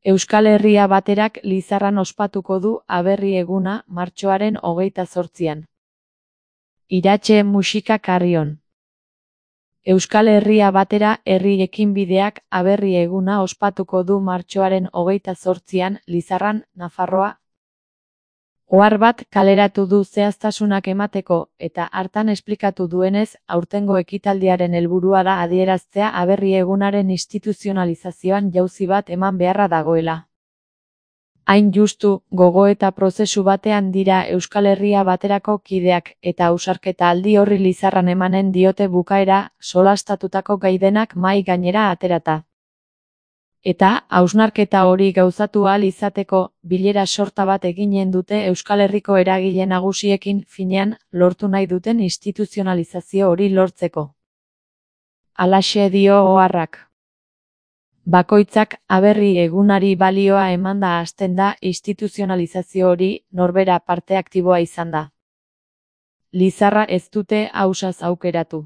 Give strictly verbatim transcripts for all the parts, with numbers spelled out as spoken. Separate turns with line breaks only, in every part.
Euskal Herria Baterak Lizarran ospatuko du Aberri eguna martxoaren hogeita zortzian. Iratxe musika Carrion. Euskal Herria Batera Herri Ekinbideak Aberri eguna ospatuko du martxoaren hogeita zortzian Lizarran, Nafarroa. Ohar bat kaleratu du zehaztasunak emateko, eta hartan esplikatu duenez, aurtengo ekitaldiaren helburua da adieraztea Aberri egunaren instituzionalizazioan jauzi bat eman beharra dagoela. Hain justu, gogoeta prozesu batean dira Euskal Herria Baterako kideak, eta ausarketa aldi horri Lizarran emanen diote bukaera, solastatutako gaidenak mahai gainera aterata. Eta, hausnarketa hori gauzatu ahal izateko, bilera sorta bat eginen dute Euskal Herriko eragile nagusiekin, finean, lortu nahi duten instituzionalizazio hori lortzeko. Halaxe dio oharrak. Bakoitzak Aberri egunari balioa emanda hasten da instituzionalizazio hori norbera parte aktiboa izan da. Lizarra ez dute ausaz aukeratu.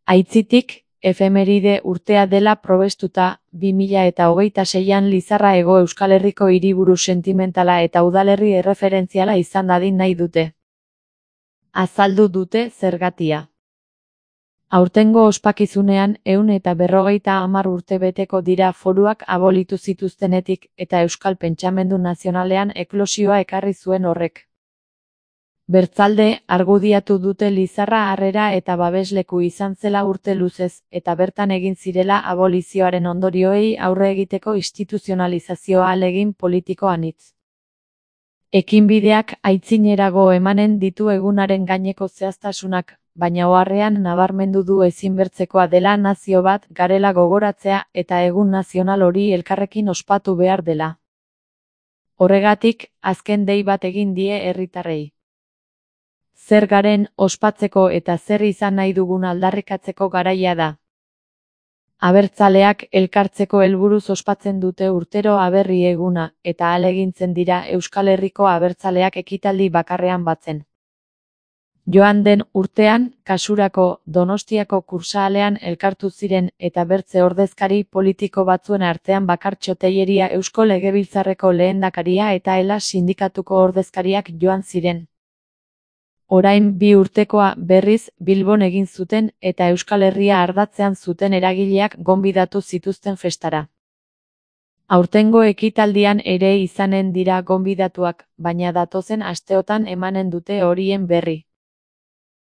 Aitzitik, efemeride urtea dela probestuta, bi mila eta hogeita seian Lizarra Hego Euskal Herriko hiriburu sentimentala eta udalerri erreferentziala izan dadin nahi dute. Azaldu dute zergatia. Aurtengo ospakizunean ehun eta berrogeita hamar urte beteko dira foruak abolitu zituztenetik eta Euskal Pentsamendu Nazionalean eklosioa ekarri zuen horrek. Bertzalde, argudiatu dute Lizarra harrera eta babesleku izan zela urte luzez, eta bertan egin zirela abolizioaren ondorioei aurre egiteko instituzionalizazioa ahalegin politiko anitz. Ekinbideak aitzinerago emanen ditu egunaren gaineko zehaztasunak, baina oharrean nabarmendu du ezinbertzekoa dela nazio bat garela gogoratzea eta egun nazional hori elkarrekin ospatu behar dela. Horregatik, azken dei bat egin die herritarrei. Zer garen ospatzeko eta zer izan nahi dugun aldarrikatzeko garaia da. Abertzaleak elkartzeko helburuz ospatzen dute urtero Aberri eguna, eta ahalegintzen dira Euskal Herriko abertzaleak ekitaldi bakarrean batzen. Joan den urtean, kasurako Donostiako kursaalean elkartu ziren eta bertze ordezkari politiko batzuen artean Bakartxo Telleria Eusko Legebiltzarreko lehendakaria eta Ela sindikatuko ordezkariak joan ziren. Orain bi urtekoa berriz Bilbon egin zuten eta Euskal Herria ardatzean zuten eragileak gonbidatu zituzten festara. Aurtengo ekitaldian ere izanen dira gonbidatuak, baina datozen asteotan emanen dute horien berri.